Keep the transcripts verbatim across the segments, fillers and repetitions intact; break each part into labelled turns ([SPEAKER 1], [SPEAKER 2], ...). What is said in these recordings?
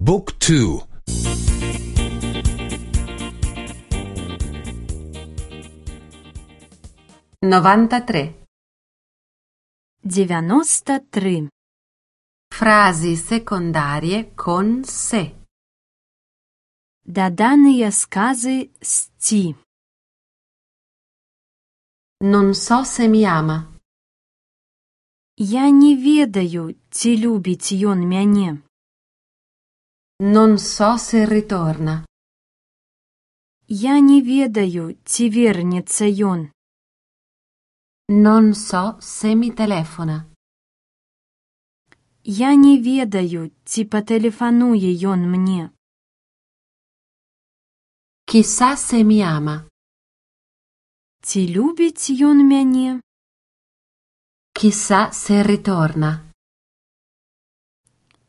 [SPEAKER 1] Book two.
[SPEAKER 2] Novantatré.
[SPEAKER 3] Девяносто тры.
[SPEAKER 2] Frasi secondarie con se.
[SPEAKER 3] Даданыя сказы з ці.
[SPEAKER 2] Non so se mi ama.
[SPEAKER 3] Я не ведаю, ці любіць ён мяне.
[SPEAKER 2] Non so se ritorna.
[SPEAKER 3] Я не ведаю, ці вернецца ён.
[SPEAKER 2] Non so se mi telefona.
[SPEAKER 3] Я не ведаю, ці патэлефануе ён мне.
[SPEAKER 2] Chissà se mi ama.
[SPEAKER 3] Ці любіць ён мяне?
[SPEAKER 2] Chissà se ritorna.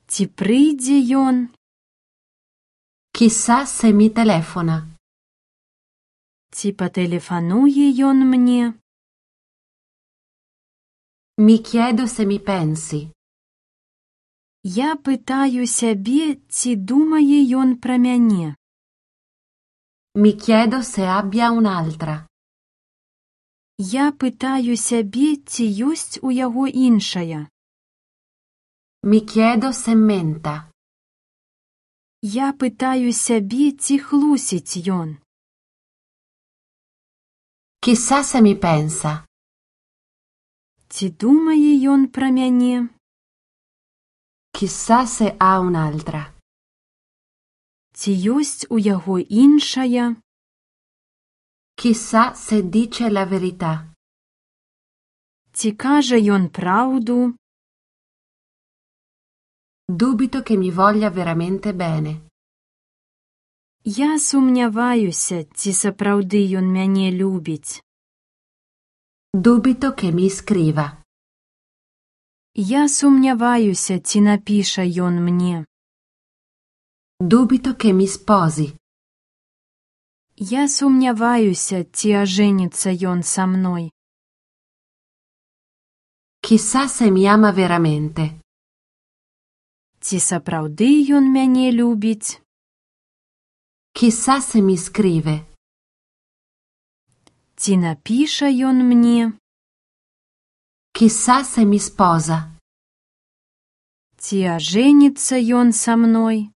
[SPEAKER 3] Ці прыйдзе ён?
[SPEAKER 2] Chissà se mi telefona.
[SPEAKER 3] Ці патэлефануе ён мне?
[SPEAKER 2] Mi chiedo se mi pensi.
[SPEAKER 3] Я пытаю сябе, ці думае ён пра мяне.
[SPEAKER 2] Mi chiedo se abbia un'altra.
[SPEAKER 3] Я пытаю сябе, ці ёсць у яго іншая.
[SPEAKER 2] Mi chiedo se menta.
[SPEAKER 3] Я пытаю сябе, ці хлусіць ён.
[SPEAKER 2] Chissà se mi pensa.
[SPEAKER 3] Ці думае ён пра мяне?
[SPEAKER 2] Chissà se ha un'altra.
[SPEAKER 3] Ці ёсць у яго іншая?
[SPEAKER 2] Chissà se dice la verità.
[SPEAKER 3] Ці кажа ён праўду?
[SPEAKER 2] Dubito che mi voglia veramente bene.
[SPEAKER 3] Я сумняваюся, ці сапраўды ён мяне любіць.
[SPEAKER 2] Dubito che mi scriva.
[SPEAKER 3] Я сумняваюся, ці напіша ён мне.
[SPEAKER 2] Dubito che mi sposi.
[SPEAKER 3] Я сумняваюся, ці ажэніцца ён са мной.
[SPEAKER 2] Chissà se mi ama veramente.
[SPEAKER 3] Ці сапраўды ён мяне любіць?
[SPEAKER 2] Chissà se mi scrive.
[SPEAKER 3] Ці напіша ён мне?
[SPEAKER 2] Chissà se mi sposa.
[SPEAKER 3] Ці ажэніцца ён са мной?